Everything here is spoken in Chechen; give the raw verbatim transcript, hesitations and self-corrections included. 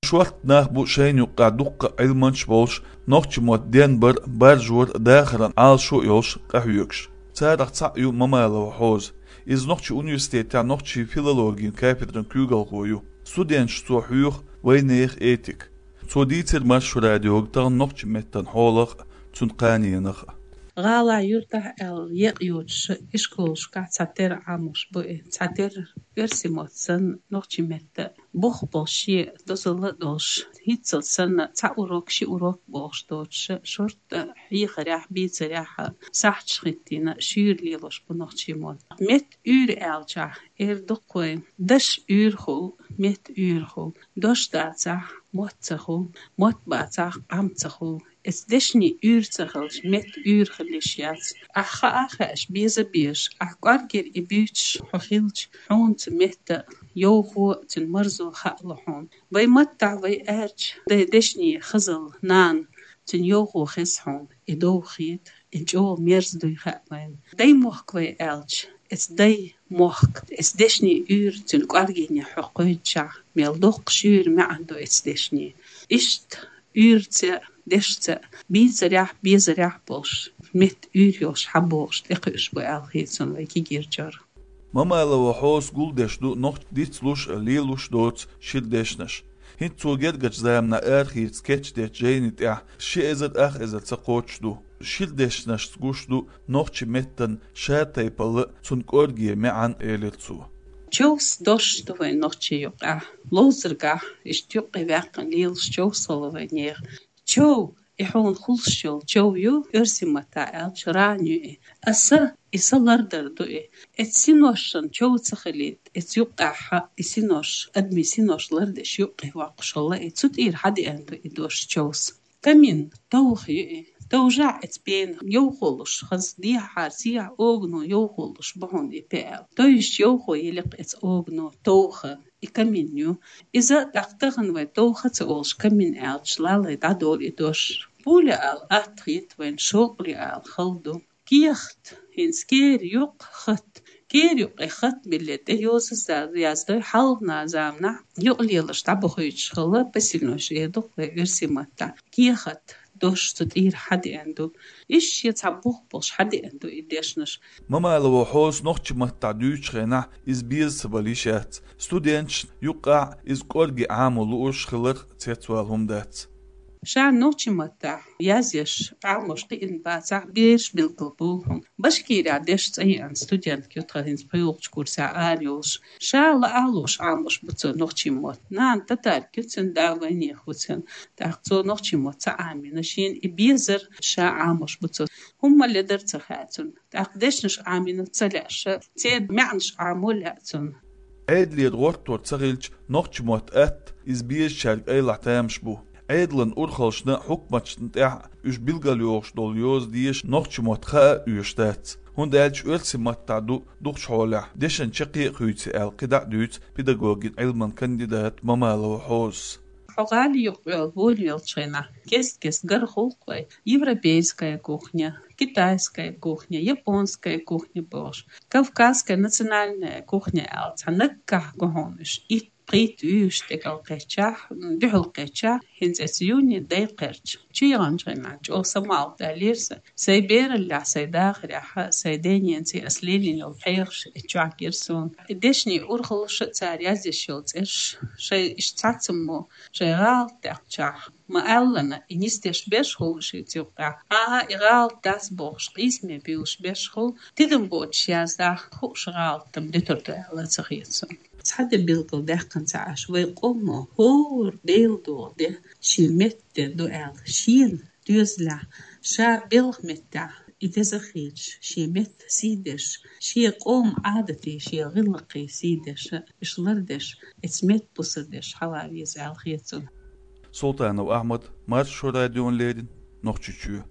Шортта нах бу шайна юкъахь дуккха а Ӏилманчаш болуш, нохчийн мотт денбар, баржор, дахаран Ӏалашо а йолуш къахьоьгуш. Царах цхьаъ ю Мамалова Хьоза. Иза нохчийн университетехь нохчийн филологийн кафедран куьйгалхо ю. Студенташна цо хьоьху вайнехан этика. Цо дийцира Маршо радиога тахана нохчийн меттан хьолах а, цуьнан кханенах а. ГӀалахь, юьртахь аьлла екъа йоцуш, ишколашкахь цхьатерра Ӏамош бу и, цхьатерра оьрсийн мотт санна, нохчийн меттан бух болуш, шен дозалла а долуш, хӀинццалц санна, цхьа урок, ши урок бохуш доцуш, шортта хьехарехь, бийцарехь, сахьташ хӀиттийна, шуьйра лелош бу нохчийн мотт. Меттан уьйр аьлчахь, эр дукха вай, дашна уьйр хуьлу, меттан уьйр хуьлу. Дош дацахь, мотт ца хуьлу, мотт бацахь, къам ца хуьлу. Эцу дешнийн уьйр ца хилча, меттан уьйр хила йиш яц. Ахь хаа а хаьаш, беза а безаш, ахь кӀоргера и буьйцуш хьо хилча, хьуна цу меттан йовхо а, цуьнан марзо а хаало хьуна. Вайн маттахь вай аьлча, дай дешнийн хазалла, нана, цуьнан йовхо хеза хьуна, и довха хета, и чӀогӀа мерза дуй хаьа вайна. Дай мохк вай аьлча, эцу дай мохк, эцу дешнийн уьйр цуьнан кӀоргене хьо кхойдучахь, мел доккха шуьйра маьӀна ду эцу дешнийн. Иштта уьйрца а, дешца а, бийцарехь а, безарехь а болуш, меттан уьйр йолуш хьабогӀуш, тӀекхуьуш бу аьлла хета суна вай кегийрачара. Мамалова Хьозас гулдеш ду нохчийн дицлуш а, лелош доцу шира дешнаш. ХӀинца цо гергарчу заманахь арахеца кечдечу жайни тӀехь ши эзар ах эзар ца кхочуш ду. Шира дешнашца гуш ду нохчийн меттан шатайпалла а, цуьнан кӀорге маьӀна а, элира цо. Човс дош ду вайн нохчийн юкъахь, ловзаргахь, иштта юккъе ваьккхина лелаш човс хуьлу вайнехан. Чов, и хьуна хуьлуш йолу чов ю, оьрсийн маттахь аьлча, ран ю и. А са, и са лардар ду и. Эцу синошна чов ца хилийта, эцу юккъехь и синош, адамийн синош лардеш юккъе воккхуш хилла и. Цу тӀера хьадеана ду и дош, човс. Камин, товха ю и. Товжахь эцу пенах йовхо луш, хаза дехьахьара сехьа огано йовхо луш бу хьуна и пен аьлла. Товжаш йовхо йили-кх эцу огано, товха. И камин ю. Иза тӀаккха тахана вай товха ца олуш, камин аьлча, лалай дӀадолу и дош. Пуля ала атта хета вайна, шовкъале ала хала ду. Кехат, хӀинца кера юккъе хатт. Кера юккъе хатт билле, тӀе йоза яздой, хьалхана заманахь юкъ лелаш дӀабохуьйтуш хилла, посевной эр ду-кх вай оьрсийн маттахь. Кехат, дош цу тӀера хьадеана ду. Иштта шен цхьа бух болуш хьадеана ду и дешнаш. Мамалова Хьозас нохчийн маттахь дуьйцучу хенахь иза беза ца бала йиш яц. Студенташна юккъехь иза кӀорге Ӏамо лууш хиларх цецвала хӀума дац. Ша нохчийн маттахь язъеш, Ӏамош кхиъна бацахь, бераш билггал бу хьуна. Башкирехь дешна цӀа еана студентка ю тхан, хӀинца пхоьалгӀачу курсехь ара йолуш. Ша лаа а лууш Ӏамош бу цо нохчийн мотт. Нана татарка ю, цуьнан да вайнехан ву цуьнан. ТӀаккха цо нохчийн мотт ца Ӏамийна, шена и безар, ша Ӏамош бу цо. ХӀумма ледар ца хаьа цунна. ТӀаккха дешнаш Ӏамийна ца лаьа ша, церан маьӀнаш Ӏамо лаьа цунна. Ӏедалера гӀортор ца хилча, нохчийн мотт атта, иза безачаьрга айлахь тамаш бу. Ӏедалан урхаллашна, хьукматашна тӀехь уьш билгалйохуш долу йоза деша нохчийн мотт хаа а оьшуш дац. ХӀунда аьлча оьрсийн маттахь ду дукхачу хьолехь, дешан чаккхе а хуьйцу аьлла, кхидӀа а дуьйцу педагогин Ӏилманан кандидата Мамалова Хьозас. Хьо гӀали юкъа йолу, волу йолчу хенахь, кест-кест гар хуьлу-кх вай: европейская кухня, китайская кухня, японская кухня бохуш, кавказская национальная кухня аьлла, цхьа наггахь гу хьуна уьш. Итт, пхийтта вуьйш тӀекӀал кхеччахь, дуьхьал кхеччахь, хӀинца эцу юьйни дай кхаьрча. Чу яханчу хенахь чӀогӀа самукъадаьллера сан. Сайн бераллехь, сайн дахарехь, сайн ден-ненаций ас лелийна йолу хьехаш эцу чохь гира суна. И дешнийн урхаллаш а, цара язъеш йолу цӀераш, шайн иштта цхьацаммо, шайн гӀалат даьккхичахь, ма-аллана, и нисдеш берш хуьлу шица юккъехь. Ага, и гӀалат дац бохуш, къийсаме буьйлуш берш хуьлу, тидам боцуш яздахь, хууш гӀалатам дуьтур ду аьлла ца хета суна. Цхьа де билгалдаьккхина ца Ӏаш, вай къомо хӀора Делан догӀу де шен меттан де ду аьлла, шена доьзалехь, ша белхан меттехь и деза хилча, шен меттан сий деш, шен къоман Ӏадатийн, шен гӀиллакхийн сий деш, уьш лардеш, эцу меттан бусар деш хьала веза аьлла хета суна. Султанов Ахьмад, Маршо радиона леррина, Нохчийчоь.